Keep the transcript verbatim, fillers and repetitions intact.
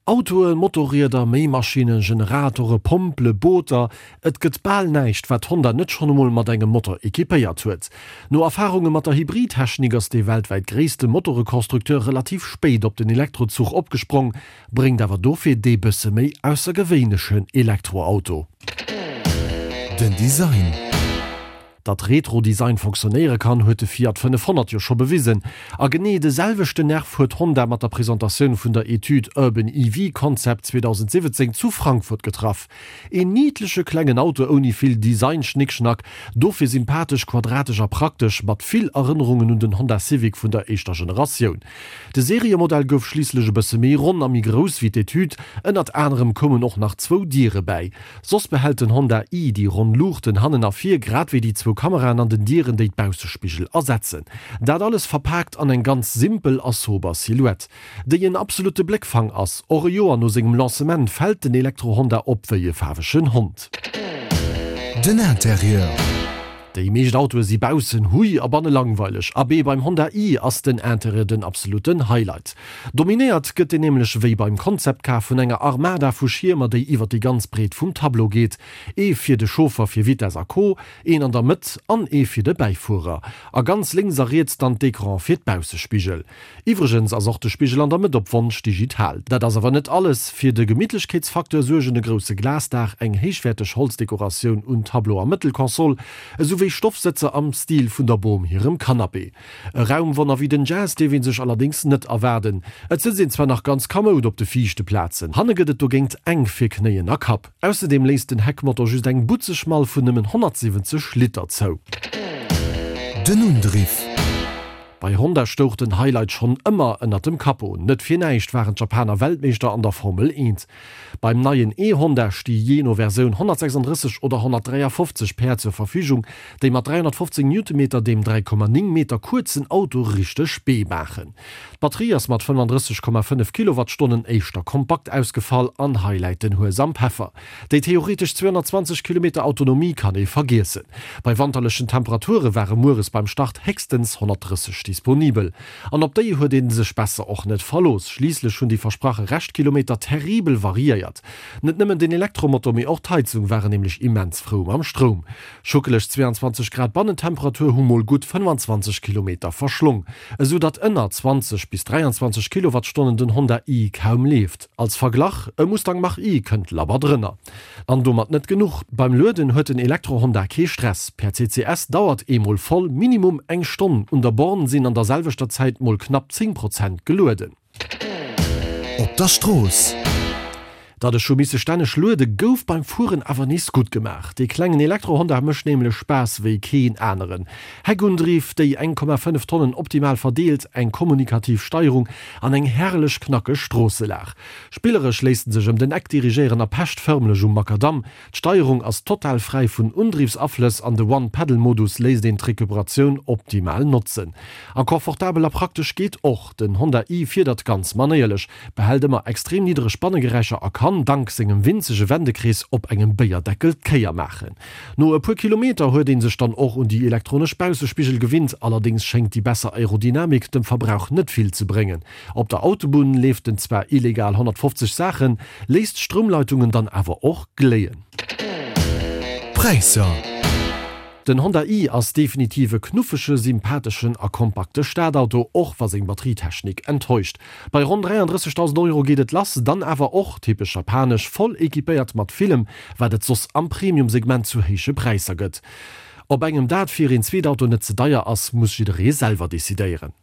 Autoen, Motorrieder, Méimaschinnen, Generatore, Pompele, Booter, et gëtt bal näischt, wat Honda net schonn emol mat engem Motor equipéiert huet. No Erfarunge mat der Hybridtechnik ass dee weltwäit gréisste Motoreconstructeur relativ spéit op den Elektrozuch opgesprong, bréngt awer dofir dee bësse méi aussergewéinlechen Elektroauto. Den Design. Datt Retro-Design fonctionnéiere kann, huet de Fiat fënnefhonnert jo scho bewisen. A genee de selwechten Nerv huet Honda mat der Presentatioun vun der Etüd Urban E V Concept zweedausendsiwwenzéng zu Frankfurt getraff. Een niddleche klengen Auto ouni vill Design-Schnickschnack, dofir sympathesch, quadratesch a praktesch, mat vill Erënnerungen un den Honda Civic vun der éischter Generatioun. De Seriemodell gouf schliisslech e bësse méi ronn a méi grouss wéi d'Etüd, ënnert anerem koumen och nach zwou Diere bäi. Soss behält den Honda i déi ronn Luuchten hannen a vir, grad wéi déi zwou Kameraen an den Dieren, déi d'Baussespigel ersetzen. Dat alles verpaakt an eng ganz simpel a sober Silhouette, déi en absolutte Bléckfang ass. Och e Joer no sengem Lancement fält den Elektro-Honda op wéi e faarwegen Hond. Den Interieur. Déi meescht Autoe si baussen hui a banne langweileg. Abee, beim Honda i ass den Interieur den absolutten Highlight. Dominéiert gëtt en nämlech wéi beim Concept Car vun enger Armada vu Schiermer, déi iwwer déi ganz Breet vum Tableau geet. Ee fir de Chauffer fir Vitess a Co, een an der Mëtt an ee fir de Bäifuerer. A ganz lénks a riets dann d'Ecrane fir d'Baussespigel. Iwwregens ass och de Spigel an der Mëtt op Wonsch digital. Dat ass awer net alles, Fir de Gemittlechkeetsfacteur suergen e grousse Glasdaach, eng héichwäerteg Holzdekoratioun un Tableau a Mëttelkonsol, esou wéi Stoffsëtzer am Stil vun der Bom hirem Canapé. E Raumwonner wéi den Jazz dierf ee sech allerdéngs net erwaarden. Et sëtzt een zwar nach ganz kamoud op de viischte Plazen, hanne gëtt et dogéint enk fir Knéien a Kapp. Ausserdeem léisst den Heckmotor just eng butzeg Mall vun nëmmen honnertsiwwenzeg Liter zou. Den Undriff. Bei Honda stouch den Highlight schonn ëmmer ënnert dem Capot. Net fir näischt waren d'Japaner Weltmeeschter an der Formel eent. Beim neien E-Honda sti jee no Versioun honnertsechsandrësseg oder honnertdräiafofzeg Päerd zur Verfügung, déi mat dräihonnertfofzéng Newtonmeter deem dräi Komma néng Meter kuerzen Auto richteg Bee maachen. D'Batterie ass mat fënnefandrësseg Komma fënnef Kilowattstonnen éischter kompakt ausgefall an hei läit den Hues am Peffer. Déi theoretesch zweehonnertzwanzeg Kilometer Autonomie kann ee vergiessen. Bei wanterlechen Temperature ware mueres beim Start héchstens honnertdrësseg disponibel. An op déi huet ee sech besser och net verlooss. Schliisslech hunn déi versprache Reschtkilometer terribel variéiert. Net nëmmen den Elektromotor, mee och d'Heizung waren nämlech immens frou mam Stroum. Schuckeleg zweeanzwanzeg Grad Bannentemperatur hu mol gutt fënnfanzwanzeg Kilometer verschlong, esou datt ënner zwanzeg bis dräianzwanzeg Kilowattstonnen den Honda i kaum leeft. Als Verglach, e Mustang Mach-E kënnt labber drënner. An domat net genuch, beim Lueden huet den Elektro-Honda kee Stress, per C C S dauert eemol voll minimum eng Stonn, un der Born sinn an der selwechter Zäit mol knapp zéng Prozent gelueden. Op der Strooss. Datt ech hu misse stänneg luede gouf beim Fueren awer nees gutt gemaach. Dee klengen Elektro-Honda mécht nämlech Spaass wéi keen aneren. Heckundriff, déi eng Komma fënnef Tonnen optimal verdeelt, eng kommunikativ Steierung an eng herrlech knackeg Stroosselag. Spilleresch léisst en sech ëm den Eck dirigéieren a pecht fërmlech um Makadamm. D'Steierung ass total fräi vun Undriffsaflëss an de One-Pedal-Modus léisst een d'Recuperatioun optimal notzen. A confortabel a praktesch geet och, den Honda i fiedert ganz manéierlech, behält ëmmer extrem niddereg Bannegeräischer a kann, dank sengem winzege Wendekrees, op engem Béierdeckel d'Kéier maachen. No e puer Kilometer huet ee sech dann och un déi elektronesch Baussespigel gewinnt, allerdéngs schéngt déi besser Aerodynamik dem Verbrauch net vill ze bréngen. Op der Autobunn leeft en zwar illegal honnertfofzeg Saachen, léisst d'Stroumleitungen dann awer och gléien. Präisser. Den Honda i ass definitiv e knuffege, sympatheschen a kompakte Stadauto, och wa seng Batterietechnik enttäuscht. Bei ronn dräiandrëssegdausend Euro geet et lass, dann awer och, typesch japanesch, voll equipéiert mat villem, wat et soss am Premium-Segment zu héije Präisser gëtt. Ob engem dat fir een Zweetauto net ze deier ass, muss jidderee selwer decidéieren.